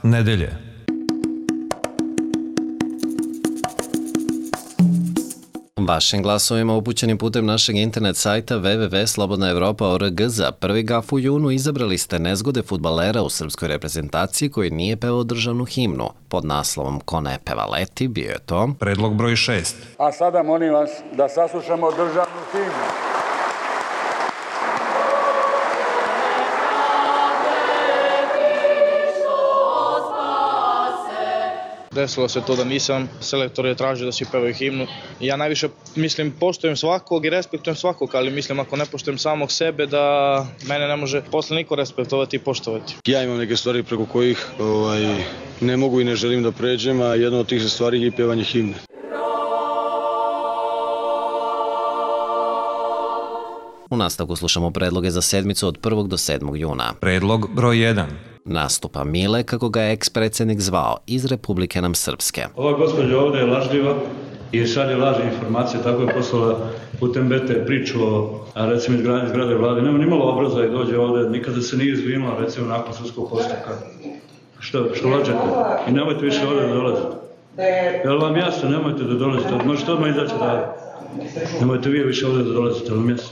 nedelje. Vašim glasovima upućenim putem našeg internet sajta www.slobodnaevropa.org za prvi gaf u junu izabrali ste nezgode fudbalera u srpskoj reprezentaciji koji nije pevao državnu himnu. Pod naslovom Ko ne peva leti bio je to Predlog broj 6. A sada molim vas da saslušamo državnu himnu. Desilo se to da nisam, selektor je tražio da svi pevaju himnu. Ja najviše poštujem svakog i respektujem svakog, ali mislim ako ne poštujem samog sebe da mene ne može posle niko respektovati i poštovati. Ja imam neke stvari preko kojih ne mogu i ne želim da pređem, a jedna od tih stvari je i pevanje himne. U nastavku slušamo predloge za sedmicu od 1. do 7. juna. Predlog broj 1. Nastupa Mile, kako ga je eks-predsjednik zvao, iz Republike nam Srpske. Ova gospođa ovdje je lažljiva i šalje lažne informacije, tako je poslala putem BT priču o, recimo, izgradnji zgrade vlade. Nema nimalo obraza i dođe ovdje, nikada se nije izvinula, recimo, nakon sudskog postupka. Što lađete? I nemojte više ovdje da dolazite. Jel vam jasno, nemojte da dolazite, možete odmah izaći dalje. Nemojte vi više ovdje da dolazite, vam jasno.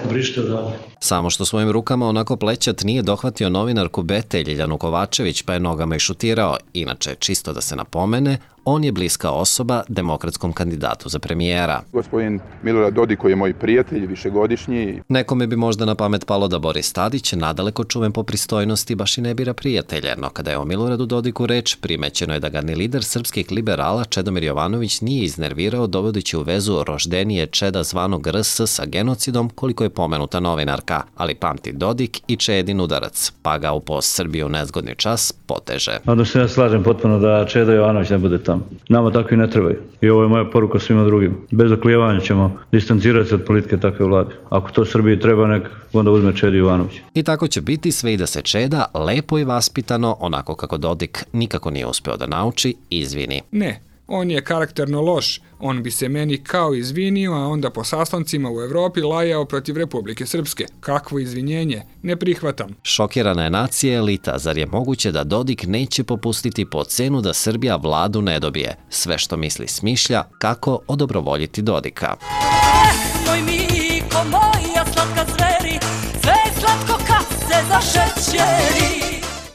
Brište dalje. Samo što svojim rukama onako plećat nije dohvatio novinarku BT Ljiljanu Kovačević pa je nogama i šutirao. Inače, čisto da se napomene, on je bliska osoba demokratskom kandidatu za premijera. Gospodin Milorad Dodik, koji je moj prijatelj, višegodišnji. Nekome bi možda na pamet palo da Boris Tadić, nadaleko čuven po pristojnosti, baš i ne bira prijatelje, no kada je o Miloradu Dodiku reč, primećeno je da ga ni lider srpskih liberala Čedomir Jovanović nije iznervirao dovodeći u vezu roždenije Čeda zvanog RS sa genocidom koliko je pomenuta novinarka, ali pamti Dodik i Čedin udarac, pa ga u post Srbiju nezgodni čas poteže. Onda se ja slažem potpuno da Čeda Jovanović ne bude tamo. Nama takvi ne trebaju. I ovo je moja poruka svima drugim. Bez oklijevanja ćemo distancirati se od politike takve vlade. Ako to Srbiji treba, nek onda uzme Čedi Jovanović. I tako će biti sve i da se Čeda lepo i vaspitano, onako kako Dodik nikako nije uspeo da nauči, izvini. Ne, on je karakterno loš. On bi se meni kao izvinio, a onda po sastancima u Evropi lajao protiv Republike Srpske. Kakvo izvinjenje? Ne prihvatam. Šokirana je nacija elita, zar je moguće da Dodik neće popustiti po cenu da Srbija vladu ne dobije? Sve što misli smišlja, kako odobrovoljiti Dodika. Moj Miko, moja slatka zveri, sve slatko kad se zašećeri.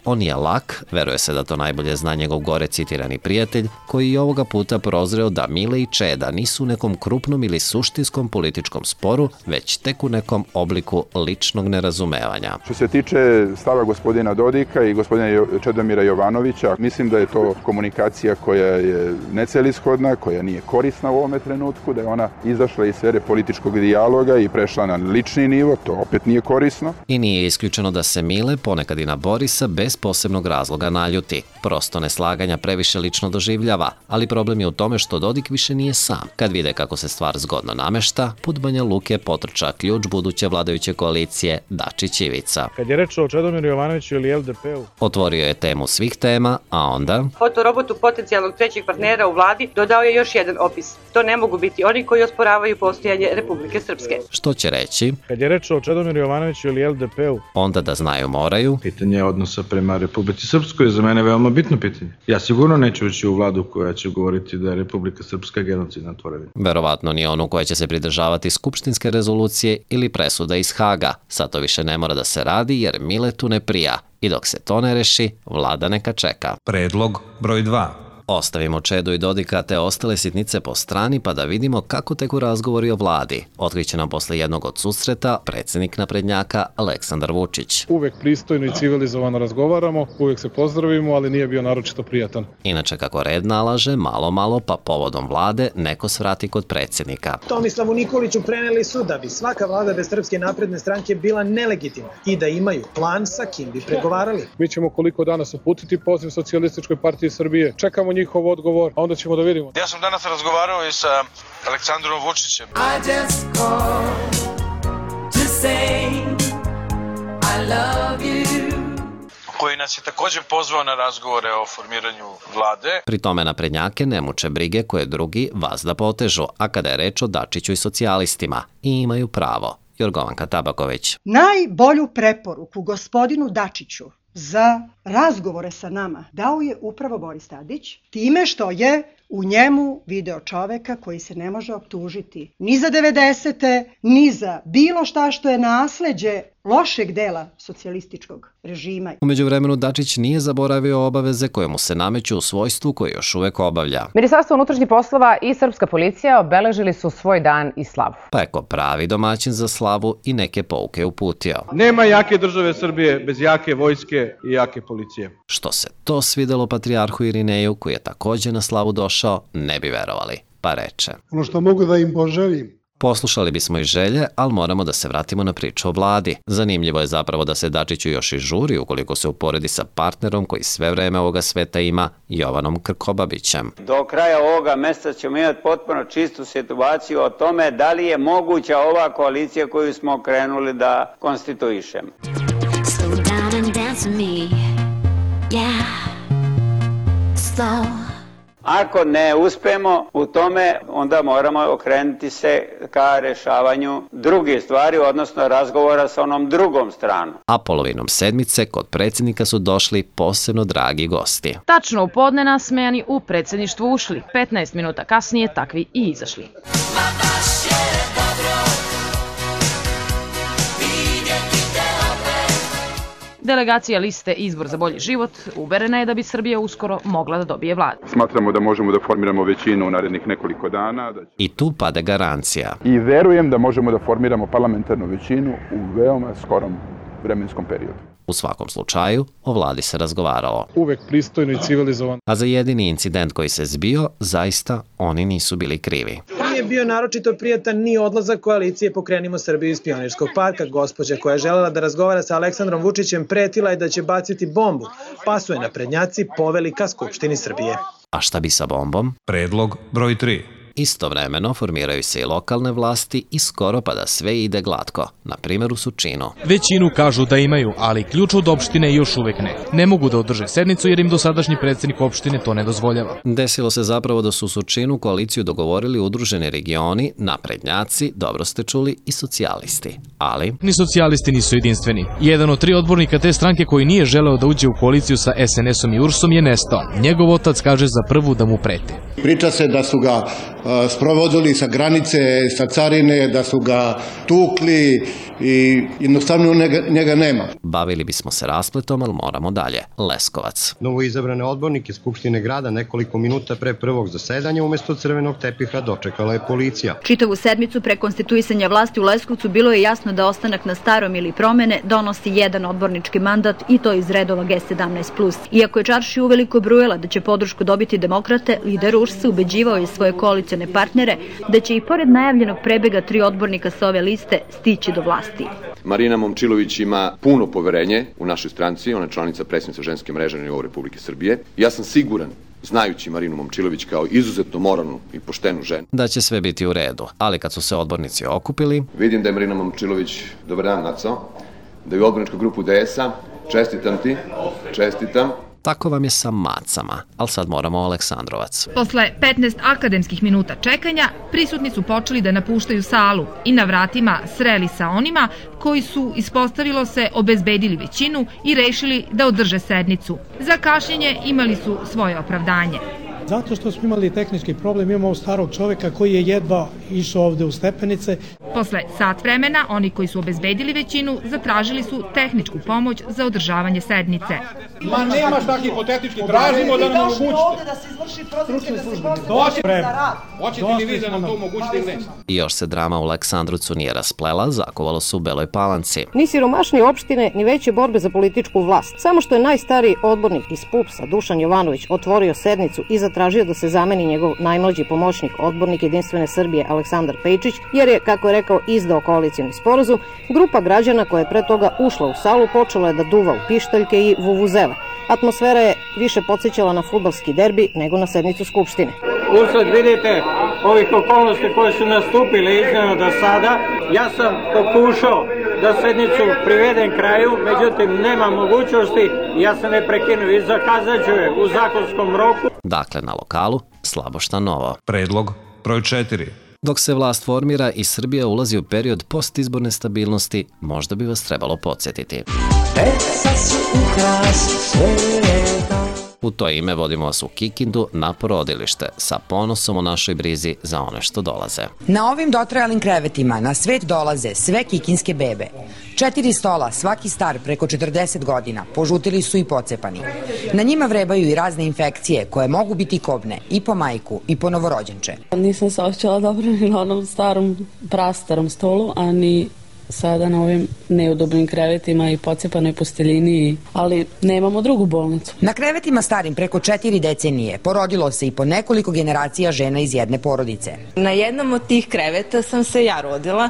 On je lak, veruje se da to najbolje zna njegov gore citirani prijatelj, koji je ovoga puta prozreo da Mile i Čeda nisu u nekom krupnom ili suštinskom političkom sporu, već tek u nekom obliku ličnog nerazumevanja. Što se tiče stava gospodina Dodika i gospodina Čedomira Jovanovića, mislim da je to komunikacija koja je necelishodna, koja nije korisna u ovome trenutku, da je ona izašla iz sfere političkog dijaloga i prešla na lični nivo, to opet nije korisno. I nije isključeno da se Mile ponekad i na Borisa bez posebnog razloga naljuti. Prosto neslaganja previše lično doživljava, ali problem je u tome što Dodik više nije sam. Kad vide kako se stvar zgodno namešta, put Banja Luke potrča ključ buduće vladajuće koalicije Dačić Ivica. Kad je reč o Čedomiru Jovanoviću ili LDP-u, otvorio je temu svih tema, a onda fotorobotu potencijalnog trećeg partnera u vladi dodao je još jedan opis. To ne mogu biti oni koji osporavaju postojanje Republike Srpske. Što će reći? Kad je reč o Čedomiru Jovanoviću ili LDP-u, onda da znaju moraju. Pitanje odnosa prema Republici Srpskoj je za mene veoma bitno pitanje. Ja sigurno neću ući u vladu koja će govoriti da je Republika Srpska genocidna tvorevina. Verovatno ni onu koja će se pridržavati skupštinske rezolucije ili presuda iz Haga. Sad to više ne mora da se radi jer Miletu ne prija. I dok se to ne reši, vlada neka čeka. Predlog broj 2. Ostavimo Čedu i Dodika te ostale sitnice po strani pa da vidimo kako teku razgovori o vladi. Otkriće nam posle jednog od susreta predsjednik naprednjaka Aleksandar Vučić. Uvek pristojno i civilizovano razgovaramo, uvek se pozdravimo, ali nije bio naročito prijatan. Inače, kako red nalaže, malo pa povodom vlade neko svrati kod predsjednika. Tomislavu Nikoliću preneli su da bi svaka vlada bez Srpske napredne stranke bila nelegitimna i da imaju plan sa kim bi pregovarali. Mi ćemo koliko danas uputiti poziv Socijalističkoj partiji Srbije. Čekamo njihov odgovor, a onda ćemo da vidimo. Ja sam danas razgovarao i sa Aleksandrom Vučićem. I just called to say I love you. Koji nas je također pozvao na razgovore o formiranju vlade. Pri tome naprednjake ne muče brige koje drugi vazda potežu, a kada je reč o Dačiću i socijalistima, i imaju pravo. Jorgovanka Tabaković. Najbolju preporuku gospodinu Dačiću za razgovore sa nama dao je upravo Boris Tadić, time što je u njemu video čoveka koji se ne može optužiti ni za 90. ni za bilo šta što je nasleđe lošeg dela socijalističkog režima. U međuvremenu Dačić nije zaboravio obaveze koje mu se nameću u svojstvu koje još uvek obavlja. Ministarstvo unutrašnjih poslova i srpska policija obeležili su svoj dan i slavu. Pa je ko pravi domaćin za slavu i neke pouke uputio. Nema jake države Srbije bez jake vojske i jake policije. Što se to svidelo patrijarhu Irineju, koji je takođe na slavu došao, ne bi verovali, pa reče. Ono što mogu da im poželim. Poslušali bismo i želje, ali moramo da se vratimo na priču o vladi. Zanimljivo je zapravo da se Dačiću još i žuri ukoliko se uporedi sa partnerom koji sve vreme ovoga sveta ima, Jovanom Krkobabićem. Do kraja ovoga meseca ćemo imati potpuno čistu situaciju o tome da li je moguća ova koalicija koju smo krenuli da konstituišemo. Slow down and dance with me. Yeah. Slow. Ako ne uspemo u tome, onda moramo okrenuti se ka rešavanju drugih stvari, odnosno razgovora sa onom drugom stranom. A polovinom sedmice kod predsjednika su došli posebno dragi gosti. Tačno u podne nasmejani u predsjedništvu ušli. 15 minuta kasnije takvi i izašli. Delegacija liste Izbor za bolji život uverena je da bi Srbija uskoro mogla da dobije vladu. Smatramo da možemo da formiramo većinu u narednih nekoliko dana. I tu pade garancija. I verujem da možemo da formiramo parlamentarnu većinu u veoma skorom vremenskom periodu. U svakom slučaju, o vladi se razgovaralo. Uvek pristojno i civilizovano. A za jedini incident koji se zbio, zaista oni nisu bili krivi. Nije bio naročito prijatan ni odlazak koalicije Pokrenimo Srbiju iz Pionirskog parka. Gospođa koja je želela da razgovara sa Aleksandrom Vučićem pretila je da će baciti bombu, pa su je naprednjaci poveli ka Skupštini Srbije. A šta bi sa bombom? Predlog broj 3. Istovremeno formiraju se i lokalne vlasti i skoro pa da sve ide glatko, na primjer u Surčinu. Većinu kažu da imaju, ali ključ od opštine još uvek ne. Ne mogu da održe sednicu jer im dosadašnji predsjednik opštine to ne dozvoljava. Desilo se zapravo da su u Surčinu koaliciju dogovorili udruženi regioni, naprednjaci, dobro ste čuli, i socijalisti. Ali ni socijalisti nisu jedinstveni. Jedan od 3 odbornika te stranke koji nije želeo da uđe u koaliciju sa SNS-om i URS-om je nestao. Njegov otac kaže za prvu da mu prete. Priča se da su ga sprovodili sa granice, sa carine, da su ga tukli i jednostavno njega nema. Bavili bismo se raspletom, ali moramo dalje. Leskovac. Novoizabrane odbornike Skupštine grada nekoliko minuta pre prvog zasedanja umesto crvenog tepiha dočekala je policija. Čitavu sedmicu pre konstituisanja vlasti u Leskovcu bilo je jasno da ostanak na starom ili promene donosi jedan odbornički mandat i to iz redova G17+. Iako je čaršija uveliko brujela da će podršku dobiti demokrate, lider URS-a ubeđivao je svoje koalicione partnere da će i pored najavljenog prebega 3 odbornika sa ove liste stići do vlasti. Marina Momčilović ima puno poverenje u našoj stranci, ona je članica predsjednice ženske mreže na nivou Republike Srbije. Ja sam siguran, znajući Marinu Momčilović kao izuzetno moralnu i poštenu ženu, da će sve biti u redu, ali kad su se odbornici okupili, vidim da je Marina Momčilović, dobar dan Naco, da je u odborničku grupu DS-a, čestitam ti, čestitam. Tako vam je sa macama, ali sad moramo o Aleksandrovac. Posle 15 akademskih minuta čekanja, prisutni su počeli da napuštaju salu i na vratima sreli sa onima koji su, ispostavilo se, obezbedili većinu i rešili da održe sednicu. Za kašnjenje imali su svoje opravdanje. Zato što smo imali tehnički problem, imamo starog čoveka koji je jedva išao ovde u stepenice. Posle sat vremena, oni koji su obezbedili većinu zatražili su tehničku pomoć za održavanje sednice. Ma nema šta hipotetički, tražimo da nam omogućite. Ovde da se izvrši procedura, da se izvrši za rad. Hoćete li vi da nam to omogućite ili ne? I još se drama u Aleksandrovcu nije rasplela, zakovalo se u Beloj Palanci. Ni siromašnije opštine, ni veće borbe za političku vlast. Samo što je najstariji odbornik iz PUPS-a, Dušan Jovanović, otvorio sednicu i zatražio da se zameni njegov najmlađi pomoćnik, odbornik Jedinstvene Srbije Aleksandar Pejčić, jer je, kako je rekao, izdao koalicijni sporazum. Grupa građana koja je pre toga ušla u salu počela je da duva u pištaljke i vuvuzele. Atmosfera je više podsjećala na fudbalski derbi nego na sednicu Skupštine. Usled vidite ovih okolnosti koje su nastupile iznenada do sada, ja sam pokušao da sednicu privedem kraju, međutim nema mogućnosti, ja sam ne prekinu i zakazat ću je u zakonskom roku. Dakle, na lokalu slabo šta novo. Predlog broj 4. Dok se vlast formira i Srbija ulazi u period postizborne stabilnosti, možda bi vas trebalo podsjetiti. U to ime vodimo vas u Kikindu na porodilište sa ponosom o našoj brizi za one što dolaze. Na ovim dotrajalim krevetima na svet dolaze sve kikinske bebe. 4 stola, svaki star preko 40 godina, požutili su i pocepani. Na njima vrebaju i razne infekcije koje mogu biti kobne i po majku i po novorođenče. Nisam se osjećala dobro ni na onom starom, prastarom stolu, a ni sada na ovim neudobnim krevetima i pocepanoj posteljini, ali nemamo drugu bolnicu. Na krevetima starim preko 4 decenije porodilo se i po nekoliko generacija žena iz jedne porodice. Na jednom od tih kreveta sam se ja rodila.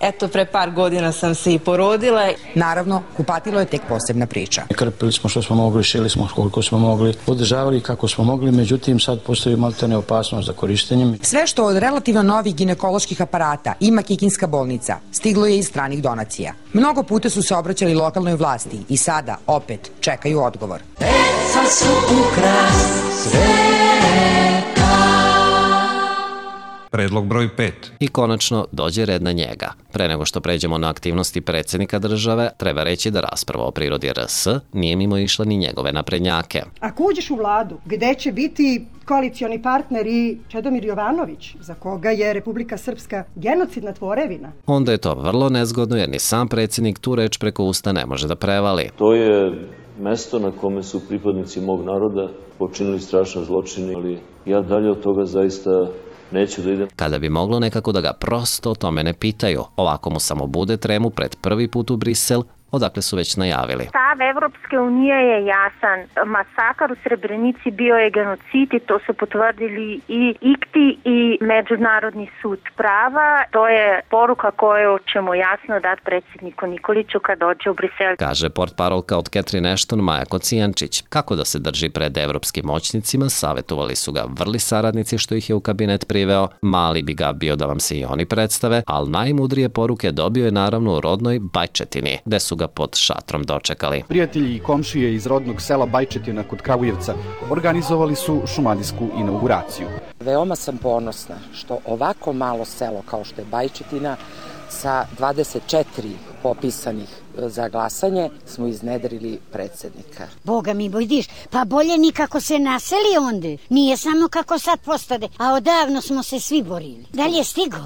Eto, pre par godina sam se i porodila. Naravno, kupatilo je tek posebna priča. Krpili smo što smo mogli, šili smo koliko smo mogli, održavali kako smo mogli, međutim sad postoji maltene opasnost za korištenjem. Sve što od relativno novih ginekoloških aparata ima Kikinska bolnica, stiglo je iz stranih donacija. Mnogo puta su se obraćali lokalnoj vlasti i sada opet čekaju odgovor. Deca su ukras sveta. Predlog broj 5. I konačno dođe red na njega. Pre nego što pređemo na aktivnosti predsjednika države, treba reći da rasprava o prirodi RS nije mimo išla ni njegove naprednjake. Ako uđeš u vladu, gde će biti koalicioni partner i Čedomir Jovanović, za koga je Republika Srpska genocidna tvorevina, onda je to vrlo nezgodno jer ni sam predsjednik tu reč preko usta ne može da prevali. To je mesto na kome su pripadnici mog naroda počinili strašne zločine, ali ja dalje od toga zaista neću da idem. Kada bi moglo nekako da ga prosto o tome ne pitaju, ovako mu samo bude tremu pred prvi put u Brisel, odakle su već najavili. Stav Evropske unije je jasan. Masakar u Srebrenici bio je genocid i to su potvrdili i ICTI i Međunarodni sud prava. To je poruka koju ćemo jasno dati predsjedniku Nikoliću kad dođe u Brisel. Kaže portparolka od Catherine Ashton Maja Kocijančić. Kako da se drži pred evropskim moćnicima, savjetovali su ga vrli saradnici što ih je u kabinet priveo. Mali bi ga bio da vam se i oni predstave, ali najmudrije poruke dobio je naravno u rodnoj Bajčetini, gde su ga pod šatrom dočekali. Prijatelji i komšije iz rodnog sela Bajčetina kod Kragujevca organizovali su šumadijsku inauguraciju. Veoma sam ponosna što ovako malo selo kao što je Bajčetina sa 24 popisanih za glasanje smo iznedrili predsjednika. Boga mi bojdiš, pa bolje nikako se naseli onda. Nije samo kako sad postade, a odavno smo se svi borili. Da li je stigo?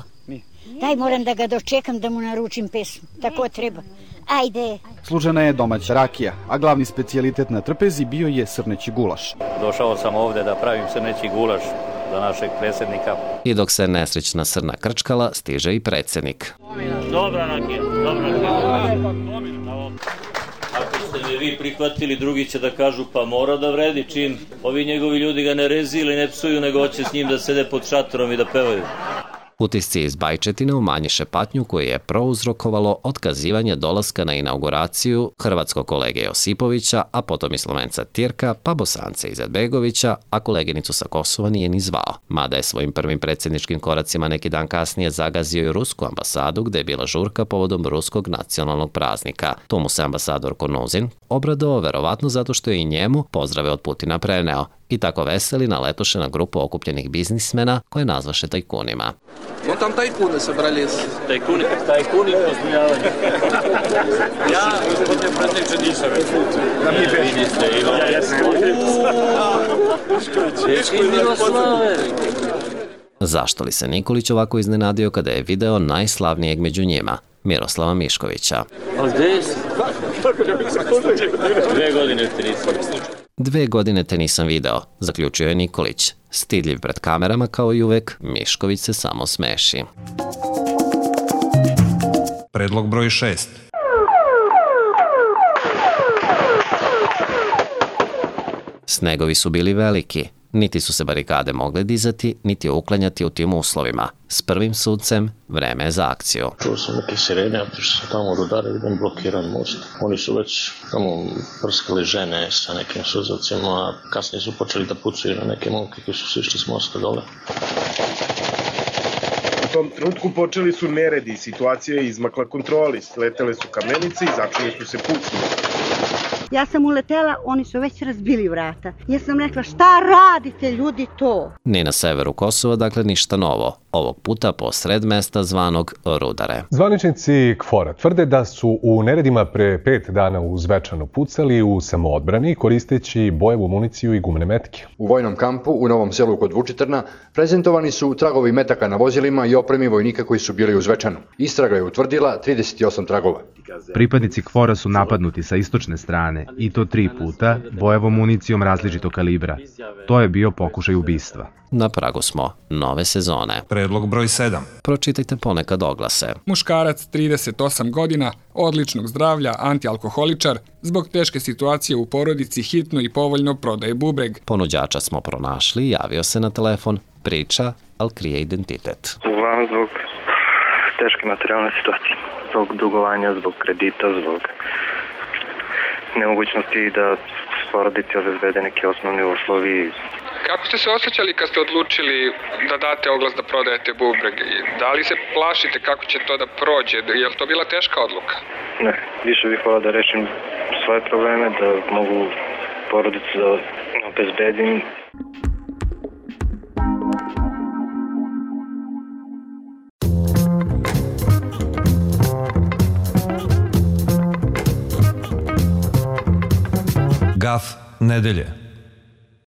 Daj, moram da ga dočekam da mu naručim pesmu. Tako treba. Ajde. Služena je domaća rakija, a glavni specijalitet na trpezi bio je srneći gulaš. Došao sam ovde da pravim srneći gulaš za našeg predsjednika. I dok se nesrećna srna krčkala, stiže i predsjednik. Dobra rakija, dobra rakija. Ako ste me vi prihvatili, drugi će da kažu pa mora da vredi čim ovi njegovi ljudi ga ne rezi ili ne psuju, nego hoće s njim da sede pod šatorom i da pevaju. Utisci iz Bajčetine umanjiše patnju koju je prouzrokovalo otkazivanje dolaska na inauguraciju hrvatskog kolege Josipovića, a potom i Slovenca Tirka, pa Bosance Izetbegovića, a koleginicu sa Kosova nije ni zvao. Mada je svojim prvim predsjedničkim koracima neki dan kasnije zagazio i rusku ambasadu gde je bila žurka povodom ruskog nacionalnog praznika. Tu mu se ambasador Konuzin obradovao verovatno zato što je i njemu pozdrave od Putina preneo. I tako veseli naletoše na grupu okupljenih biznismena koje nazvaše tajkunima. No tam tajkune собрались. Tajkuni pozdravljaju. Ja, gospodine predsjedniče, nisam već. Da mi vidite, Zašto li se Nikolić ovako iznenadio kada je video najslavnijeg među njima, Miroslava Miškovića? A gde si? 2 godine te nisam. 2 godine te nisam video, zaključio je Nikolić. Stidljiv pred kamerama kao i uvek, Mišković se samo smeši. Predlog broj 6. Snegovi su bili veliki. Niti su se barikade mogle dizati, niti uklanjati u tim uslovima. S prvim suncem, vreme je za akciju. Čuo sam neke sirene, a što sam tamo rudare, vidim blokiran most. Oni su već tamo prskali žene sa nekim suzavcima, a kasnije su počeli da pucaju na neke momke koji su sišli s mosta dole. U tom trenutku počeli su neredi, situacija je izmakla kontroli, sletele su kamenice i začeli su se pucnje. Ja sam uletela, oni su već razbili vrata. Ja sam rekla, šta radite ljudi to? Ni na severu Kosova, dakle ništa novo. ovog puta posred mesta zvanog Rudare. Zvaničnici KFOR-a tvrde da su u neredima pre 5 dana u Zvečanu pucali u samoodbrani koristeći bojevu municiju i gumene metke. U vojnom kampu u Novom Selu kod Vučitrna prezentovani su tragovi metaka na vozilima i opremi vojnika koji su bili u Zvečanu. Istraga je utvrdila 38 tragova. Pripadnici KFOR-a su napadnuti sa istočne strane i to 3 puta bojevom municijom različitog kalibra. To je bio pokušaj ubistva. Na pragu smo nove sezone. Predlog broj 7. Pročitajte ponekad oglase. Muškarac 38 godina, odličnog zdravlja, antialkoholičar, zbog teške situacije u porodici hitno i povoljno prodaje bubreg. Ponuđača smo pronašli, javio se na telefon, priča, ali krije identitet. Uglavnom zbog teške materijalne situacije, zbog dugovanja, zbog kredita, zbog nemogućnosti da porodici obezbede neki osnovni uslovi. Kako ste se osjećali kad ste odlučili da date oglas da prodajete bubreg? Da li se plašite kako će to da prođe? Je li to bila teška odluka? Ne, više bih volao da rešim svoje probleme, da mogu porodicu da obezbedim. Gaf nedelje.